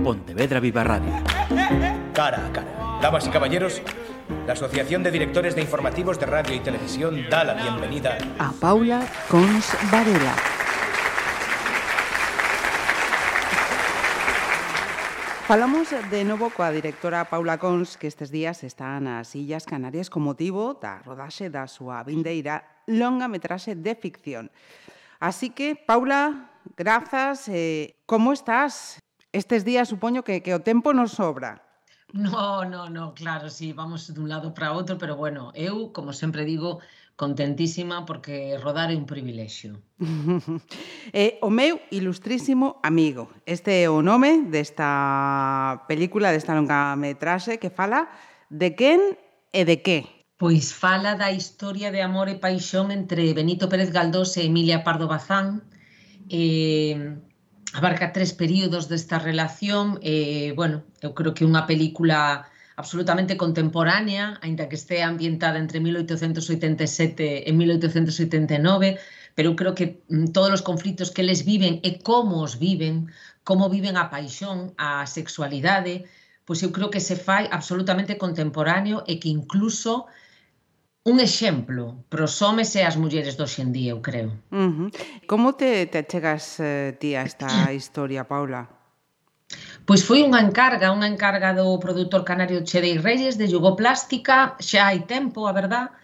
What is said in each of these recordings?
Pontevedra Viva Radio. Cara a cara. Damas y caballeros, la Asociación de Directores de Informativos de Radio y Televisión da la bienvenida a Paula Cons Varela. Falamos de novo coa directora Paula Cons, que estes días está nas Illas Canarias con motivo da rodaxe da súa vindeira longa metraxe de ficción. Así que, Paula, grazas. Como estás? Estes días supoño que o tempo nos sobra. No, claro, sí, vamos dun lado para outro, pero bueno, eu, como sempre digo, contentísima porque rodar é un privilexio. O meu ilustrísimo amigo. Este é o nome desta película, desta longa metraxe que fala de quen e de que. Pois fala da historia de amor e paixón entre Benito Pérez Galdós e Emilia Pardo Bazán. Abarca 3 períodos desta relación. Bueno, eu creo que é unha película absolutamente contemporánea, aínda que estea ambientada entre 1887 e 1889, pero eu creo que todos os conflitos que eles viven e como os viven, como viven a paixón, a sexualidade, pois eu creo que se fai absolutamente contemporáneo e que incluso un exemplo para os homes e as mulleres de hoxe en día, eu creo. Como te achegas ti a esta historia, Paula? Pois foi unha encarga do produtor canario Chedei Reyes de Yugoplástica, xa hai tempo, a verdad,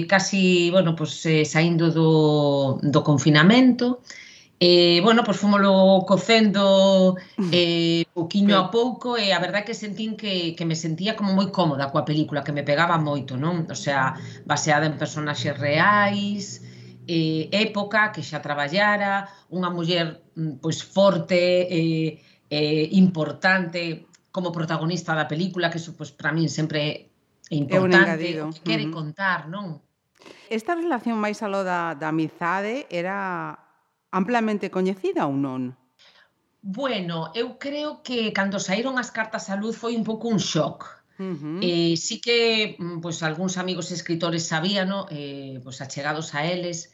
casi, bueno, pois saindo do confinamento. Bueno, pois fomoslo cocendo pouquiño a pouco e a verdade que sentín que me sentía como moi cómoda coa película, que me pegaba moito, non? O sea, baseada en personaxes reais, época que xa traballara, unha muller pois forte, importante como protagonista da película, que iso pois para min sempre é importante, o que quere contar, non? Esta relación máis aló da amizade era amplamente coñecida ou non? Bueno, eu creo que cando saíron as cartas á luz foi un pouco un shock. Sí que pois, algúns amigos escritores sabían, pois, achegados a eles,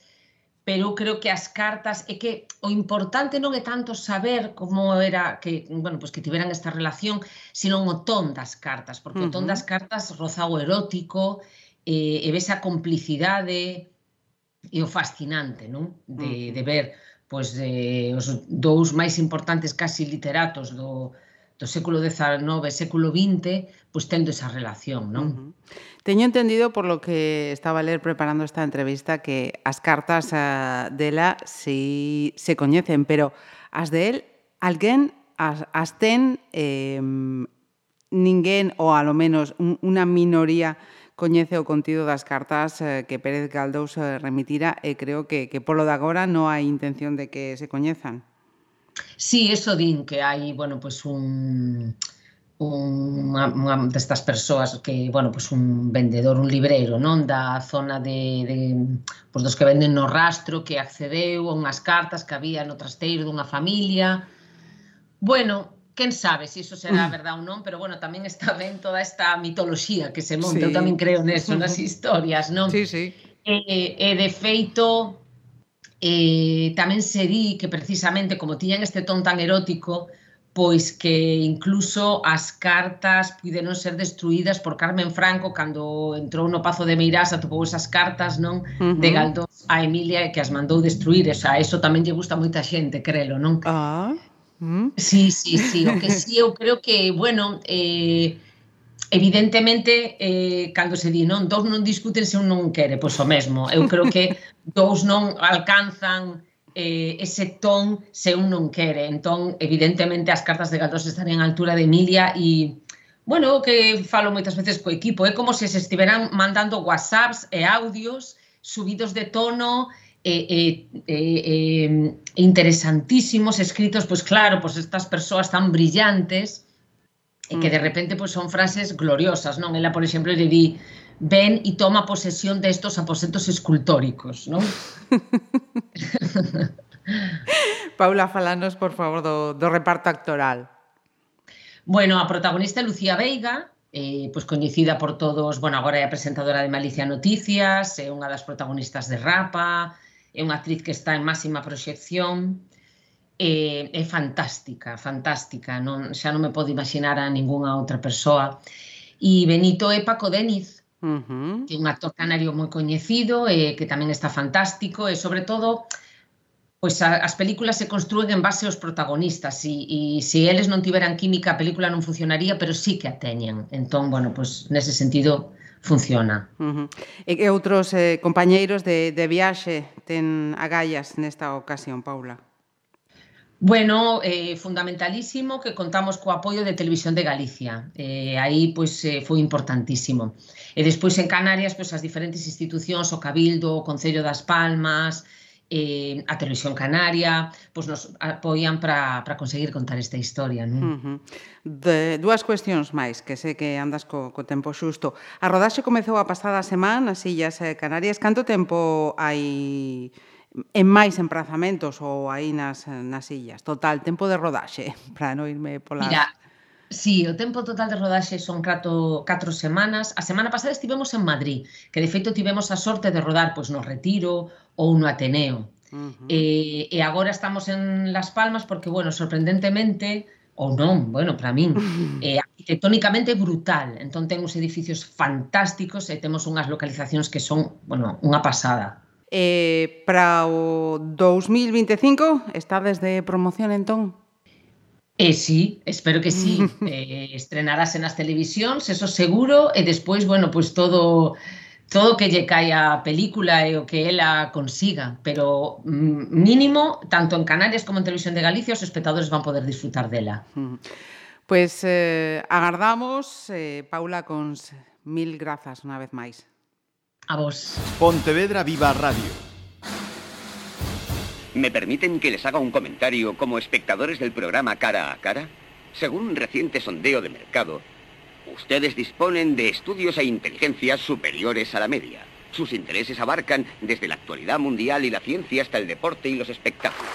pero eu creo que as cartas é que o importante non é tanto saber como era que, bueno, pois, que tiveran esta relación, sino o ton das cartas, porque o ton das cartas roza o erótico, e ves a complicidade e o fascinante, non? De ver pois os dous máis importantes casi literatos do século XIX e século XX, pois tendo esa relación, non? Teño entendido, por lo que estaba a ler preparando esta entrevista, que as cartas dela si se coñecen, pero as de él, alguén as ten, ninguén, ou alo menos unha minoría, coñece o contido das cartas que Pérez Galdós remitira e creo que polo de agora non hai intención de que se coñezan. Sí, eso din que hai, bueno, pois unha destas persoas que, bueno, pois un vendedor, un libreiro, non, da zona pois dos que venden no rastro, que accedeu a unhas cartas que había no trasteiro dunha familia. Bueno, quen sabe se iso será verdade ou non, pero bueno, tamén está ben toda esta mitoloxía que se monta, eu tamén creo neso, nas historias, non? Sí. E de feito, tamén se di que precisamente como tiñan este ton tan erótico, pois que incluso as cartas puideron ser destruídas por Carmen Franco cando entrou no Pazo de Meirás, atopou esas cartas, non? De Galdós a Emilia e que as mandou destruir, o sea, eso tamén lle gusta a moita xente, crelo, non? Sí, o que sí, eu creo que, bueno, evidentemente, cando se di, non, dous non discuten se un non quere, pois o mesmo, eu creo que dous non alcanzan ese ton se un non quere, entón, evidentemente, as cartas de Galdós estarían á altura de Emilia e, bueno, o que falo moitas veces co equipo, é como se estiveran mandando whatsapps e audios subidos de tono, interesantísimos, escritos, pois claro, pois estas persoas tan brillantes e que de repente pois son frases gloriosas, non? Ela, por exemplo, lle di: ven e toma posesión de estos aposentos escultóricos, non? Paula, falanos, por favor, do reparto actoral. Bueno, a protagonista é Lucía Veiga, pois coñecida por todos, bueno, agora é a presentadora de Malicia Noticias, é unha das protagonistas de Rapa, é unha actriz que está en máxima proxección. é fantástica, fantástica. Xa non me podo imaginar a ningunha outra persoa. E Benito é Paco Déniz, que é un actor canario moi coñecido, que tamén está fantástico, e sobre todo, pois as películas se construen en base aos protagonistas, e se eles non tiveran química a película non funcionaría, pero sí que a teñen. Entón, bueno, pois nese sentido funciona. E que outros compañeiros de viaxe ten agallas nesta ocasión, Paula? Bueno, fundamentalísimo que contamos co apoio de Televisión de Galicia. Aí, pois, foi importantísimo. E despois en Canarias, pois, as diferentes institucións, o Cabildo, o Concello das Palmas, a Televisión Canaria, pois nos apoian para conseguir contar esta historia, non? Dúas cuestións máis, que sei que andas co tempo xusto. A rodaxe comezou a pasada semana nas Illas Canarias. Canto tempo hai en máis emprazamentos ou aí nas illas? Total, tempo de rodaxe, para non irme polas... Mira, sí, o tempo total de rodaxe son 4 semanas. A semana pasada estivemos en Madrid, que de feito tivemos a sorte de rodar pois no Retiro ou no Ateneo. E agora estamos en Las Palmas porque, bueno, sorprendentemente, ou non, bueno, para min, arquitectónicamente brutal. Entón ten uns edificios fantásticos e temos unhas localizacións que son, bueno, unha pasada. Para o 2025 estades de promoción, entón? Sí, espero que sí. Estrenarase nas televisións, eso seguro, e despois, bueno, pois todo que lle caia a película e o que ela consiga, pero mínimo, tanto en Canarias como en Televisión de Galicia, os espectadores van poder disfrutar dela. Pois agardamos, Paula Cons, mil grazas unha vez máis. A vos. Pontevedra Viva Radio. ¿Me permiten que les haga un comentario como espectadores del programa Cara a Cara? Según un reciente sondeo de mercado, ustedes disponen de estudios e inteligencias superiores a la media. Sus intereses abarcan desde la actualidad mundial y la ciencia hasta el deporte y los espectáculos.